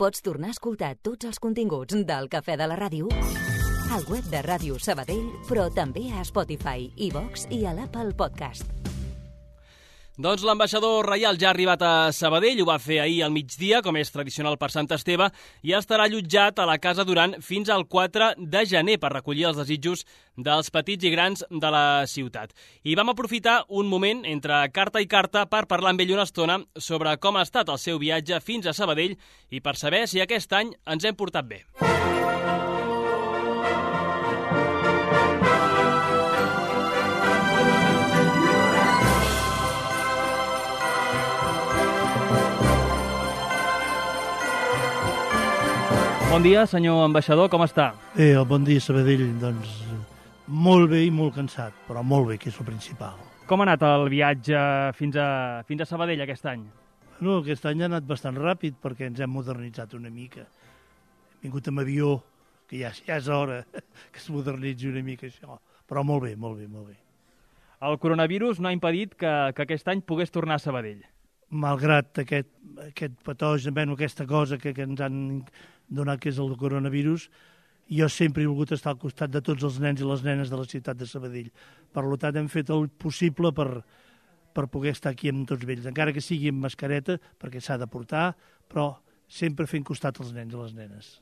Pots tornar a escoltar tots els continguts del Cafè de la Ràdio al web de Ràdio Sabadell, però també a Spotify, iVox i a l'Apple Podcast. Doncs l'ambaixador reial ja ha arribat a Sabadell, ho va fer ahir al migdia, com és tradicional per Sant Esteve, i estarà allotjat a la Casa Duran fins al 4 de gener per recollir els desitjos dels petits i grans de la ciutat. I vam aprofitar un moment entre carta i carta per parlar amb ell una estona sobre com ha estat el seu viatge fins a Sabadell i per saber si aquest any ens hem portat bé. Bon dia, senyor ambaixador, com està? Bon dia, Sabadell. Doncs molt bé i molt cansat, però molt bé, que és el principal. Com ha anat el viatge fins a Sabadell aquest any? Bueno, aquest any ha anat bastant ràpid perquè ens hem modernitzat una mica. Hem vingut amb avió, que ja és hora que es modernitzi una mica això. Però molt bé, molt bé, molt bé. El coronavirus no ha impedit que aquest any pogués tornar a Sabadell. Malgrat aquest patogen, aquesta cosa que ens han donat, que és el coronavirus, jo sempre he volgut estar al costat de tots els nens i les nenes de la ciutat de Sabadell. Per tant, hem fet el possible per poder estar aquí amb tots ells, encara que sigui amb mascareta, perquè s'ha de portar, però sempre fent costat als nens i les nenes.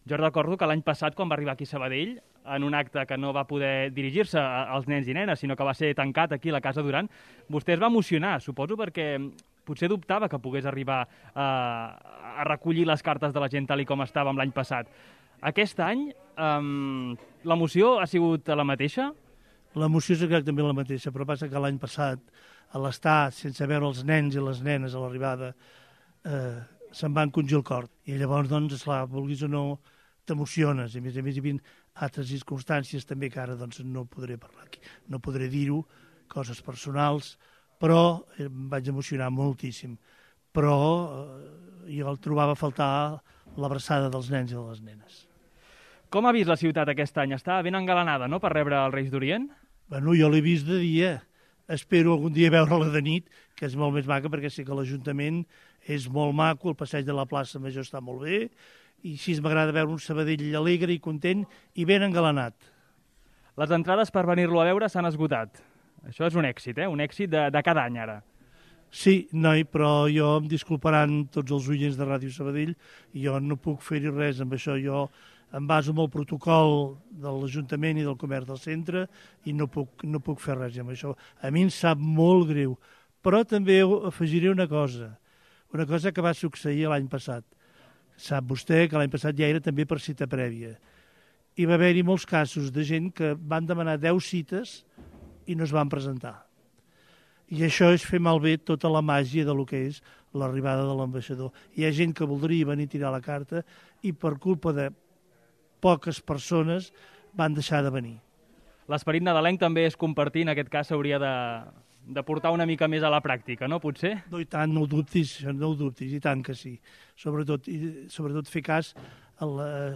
Jo recordo que l'any passat, quan va arribar aquí a Sabadell, en un acte que no va poder dirigir-se als nens i nenes, sinó que va ser tancat aquí a la Casa Duran, vostè es va emocionar, suposo, perquè potser dubtava que pogués arribar a recollir les cartes de la gent tal com estàvem l'any passat. Aquest any, l'emoció ha sigut la mateixa? L'emoció és exactament la mateixa, però passa que l'any passat, a l'estar sense veure els nens i les nenes a l'arribada, se'n va encongir el cor. I llavors, doncs, esclar, vulguis o no, t'emociones. A més, hi havia altres circumstàncies també que ara doncs, no podré parlar aquí, no podré dir-ho, coses personals, però em vaig emocionar moltíssim. Però jo el trobava a faltar l'abraçada dels nens i de les nenes. Com ha vist la ciutat aquest any? Està ben engalanada, no?, per rebre els Reis d'Orient? Bueno, jo l'he vist de dia. Espero algun dia veure-la de nit, que és molt més maca, perquè sé que l'Ajuntament és molt maco, el passeig de la plaça Major està molt bé, i així m'agrada veure un Sabadell alegre i content i ben engalanat. Les entrades per venir-lo a veure s'han esgotat. Això és un èxit, un èxit de cada any, ara. Sí, noi, però jo em disculparan tots els oients de Ràdio Sabadell, i jo no puc fer-hi res amb això. Jo em baso en el protocol de l'Ajuntament i del Comerç del Centre i no puc fer res amb això. A mi em sap molt greu, però també afegiré una cosa que va succeir l'any passat. Sap vostè que l'any passat ja era també per cita prèvia. Hi va haver-hi molts casos de gent que van demanar 10 cites i no es van presentar. I això és fer malbé tota la màgia de lo que és l'arribada de l'ambaixador. Hi ha gent que voldria venir a tirar la carta i per culpa de poques persones van deixar de venir. L'esperit nadalenc també és compartir, en aquest cas s'hauria de portar una mica més a la pràctica, no, potser? No, i tant, no ho dubtis, i tant que sí. Sobretot fer cas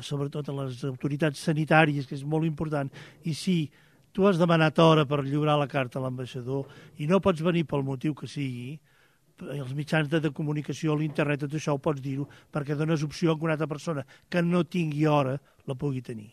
sobretot a les autoritats sanitàries, que és molt important. I sí, tu has demanat hora per lliurar la carta a l'ambaixador i no pots venir pel motiu que sigui, els mitjans de comunicació, l'internet, tot això ho pots dir-ho, perquè dones opció a una altra persona que no tingui hora la pugui tenir.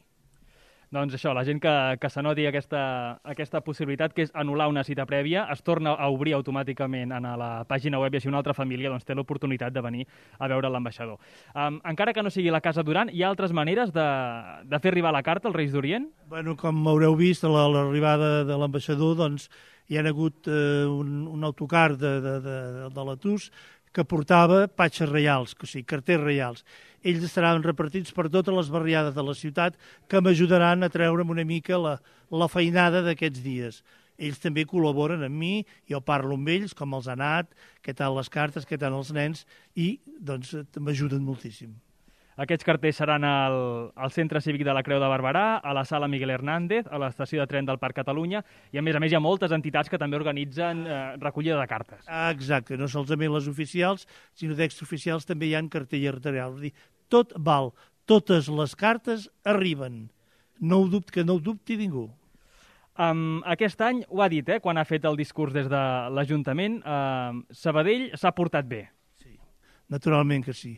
Doncs això, la gent que s'anoti aquesta possibilitat, que és anul·lar una cita prèvia, es torna a obrir automàticament a la pàgina web i així una altra família doncs, té l'oportunitat de venir a veure l'ambaixador. Encara que no sigui la Casa Duran, hi ha altres maneres de fer arribar la carta als Reis d'Orient? Bueno, com haureu vist, a l'arribada de l'ambaixador doncs, hi ha hagut un autocar de l'Atus que portava patxes reials, o sigui, carters reials. Ells estaran repartits per totes les barriades de la ciutat que m'ajudaran a treure'm una mica la feinada d'aquests dies. Ells també col·laboren amb mi, jo parlo amb ells, com els ha anat, què tal les cartes, què tal els nens, i doncs m'ajuden moltíssim. Aquests cartells seran al Centre Cívic de la Creu de Barberà, a la Sala Miguel Hernández, a l'estació de tren del Parc Catalunya, i a més hi ha moltes entitats que també organitzen recollida de cartes. Exacte, no solament les oficials, sinó d'extraoficials també hi ha cartell arterial. És a dir, tot val, totes les cartes arriben. Que no ho dubti ningú. Aquest any, ho ha dit, quan ha fet el discurs des de l'Ajuntament, Sabadell s'ha portat bé. Sí, naturalment que sí.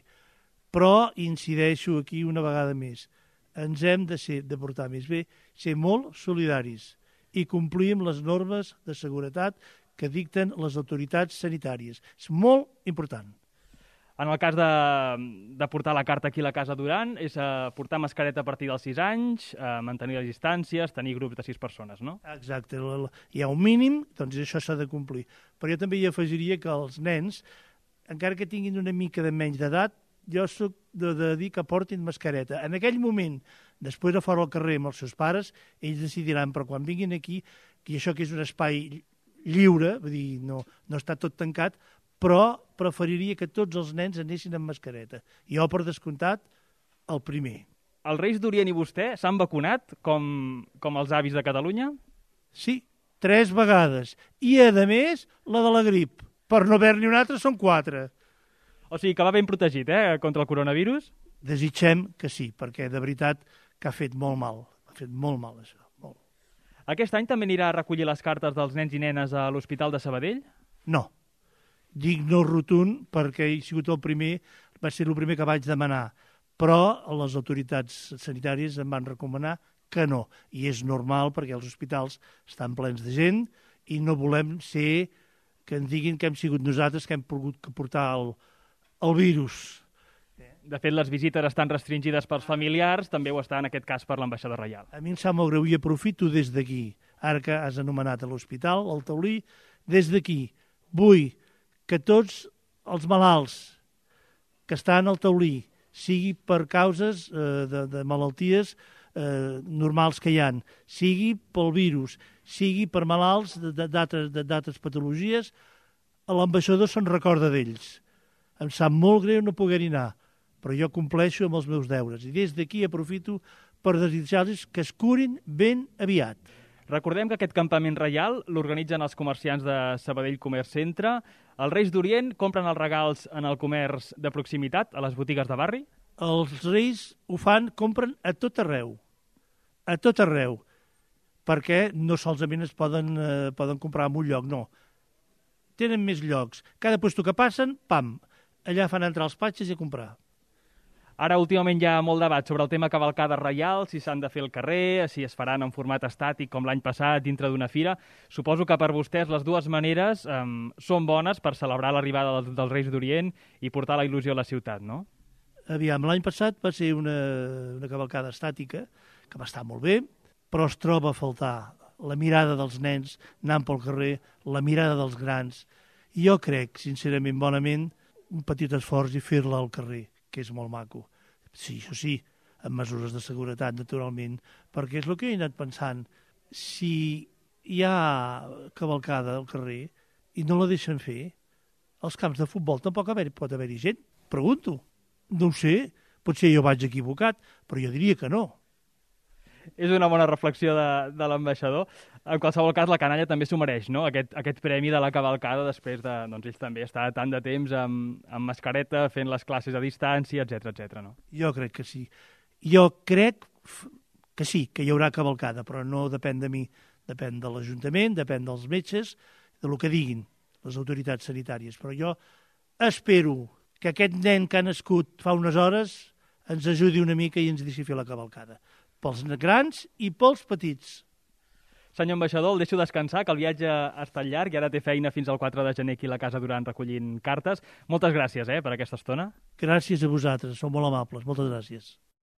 Però incideixo aquí una vegada més. Ens hem de portar més bé, ser molt solidaris i complir amb les normes de seguretat que dicten les autoritats sanitàries. És molt important. En el cas de portar la carta aquí a la Casa Duran, és portar mascareta a partir dels 6 anys, mantenir les distàncies, tenir grups de 6 persones, no? Exacte. Hi ha un mínim, doncs això s'ha de complir. Però jo també hi afegiria que els nens, encara que tinguin una mica de menys d'edat, jo soc de dir que portin mascareta. En aquell moment, després de fora al carrer amb els seus pares, ells decidiran, però quan vinguin aquí, que això que és un espai lliure, vull dir, no està tot tancat, però preferiria que tots els nens anessin amb mascareta. Jo, per descomptat, el primer. Els Reis d'Orient i vostè s'han vacunat, com els avis de Catalunya? Sí, 3 vegades. I, a més, la de la grip. Per no haver-n'hi una altra, són 4. O sigui, que va ben protegit, contra el coronavirus? Desitgem que sí, perquè de veritat que ha fet molt mal. Ha fet molt mal, això. Molt. Aquest any també anirà a recollir les cartes dels nens i nenes a l'Hospital de Sabadell? No. Dic no rotund perquè he sigut el primer, va ser el primer que vaig demanar, però les autoritats sanitàries em van recomanar que no. I és normal perquè els hospitals estan plens de gent i no volem ser que ens diguin que hem sigut nosaltres que hem pogut portar el virus. De fet, les visites estan restringides pels familiars, també ho està en aquest cas per l'ambaixador reial. A mi em sap molt greu i aprofito des d'aquí, ara que has anomenat a l'hospital, al taulí, des d'aquí vull que tots els malalts que estan al taulí, sigui per causes de malalties normals que hi ha, sigui pel virus, sigui per malalts d'altres patologies, l'ambaixador se'n recorda d'ells. Em sap molt greu no poder-hi anar, però jo compleixo amb els meus deures. I des d'aquí aprofito per desitjar-los que es curin ben aviat. Recordem que aquest campament reial l'organitzen els comerciants de Sabadell Comerç Centre. Els Reis d'Orient compren els regals en el comerç de proximitat, a les botigues de barri? Els Reis ho fan, compren a tot arreu, perquè no solament es poden comprar en un lloc, no. Tenen més llocs. Cada puesto que passen, pam, allà fan entrar els patxes i a comprar. Ara, últimament, hi ha molt debat sobre el tema cavalcades reials, si s'han de fer al carrer, si es faran en format estàtic com l'any passat dintre d'una fira. Suposo que per vostès les dues maneres són bones per celebrar l'arribada dels Reis d'Orient i portar la il·lusió a la ciutat, no? Aviam, l'any passat va ser una cavalcada estàtica, que va estar molt bé, però es troba a faltar la mirada dels nens anant pel carrer, la mirada dels grans. I jo crec, sincerament, bonament, un petit esforç i fer-la al carrer, que és molt maco. Sí, això sí, amb mesures de seguretat, naturalment, perquè és el que he anat pensant. Si hi ha cavalcada al carrer i no la deixen fer, als camps de futbol tampoc pot haver-hi gent. Pregunto. No ho sé, potser jo vaig equivocat, però jo diria que no. És una bona reflexió de l'ambaixador. En qualsevol cas, la canalla també s'ho mereix, no? Aquest premi de la cavalcada després de... Doncs ells també estar tant de temps amb mascareta, fent les classes a distància, etc, no? Jo crec que sí. Jo crec que sí, que hi haurà cavalcada, però no depèn de mi. Depèn de l'Ajuntament, depèn dels metges, del que diguin les autoritats sanitàries. Però jo espero que aquest nen que ha nascut fa unes hores ens ajudi una mica i ens deixi fer la cavalcada. Pels grans i pels petits. Senyor ambaixador, el deixo descansar, que el viatge ha estat llarg i ara té feina fins al 4 de gener aquí a la Casa Duran recollint cartes. Moltes gràcies per aquesta estona. Gràcies a vosaltres, sou molt amables. Moltes gràcies.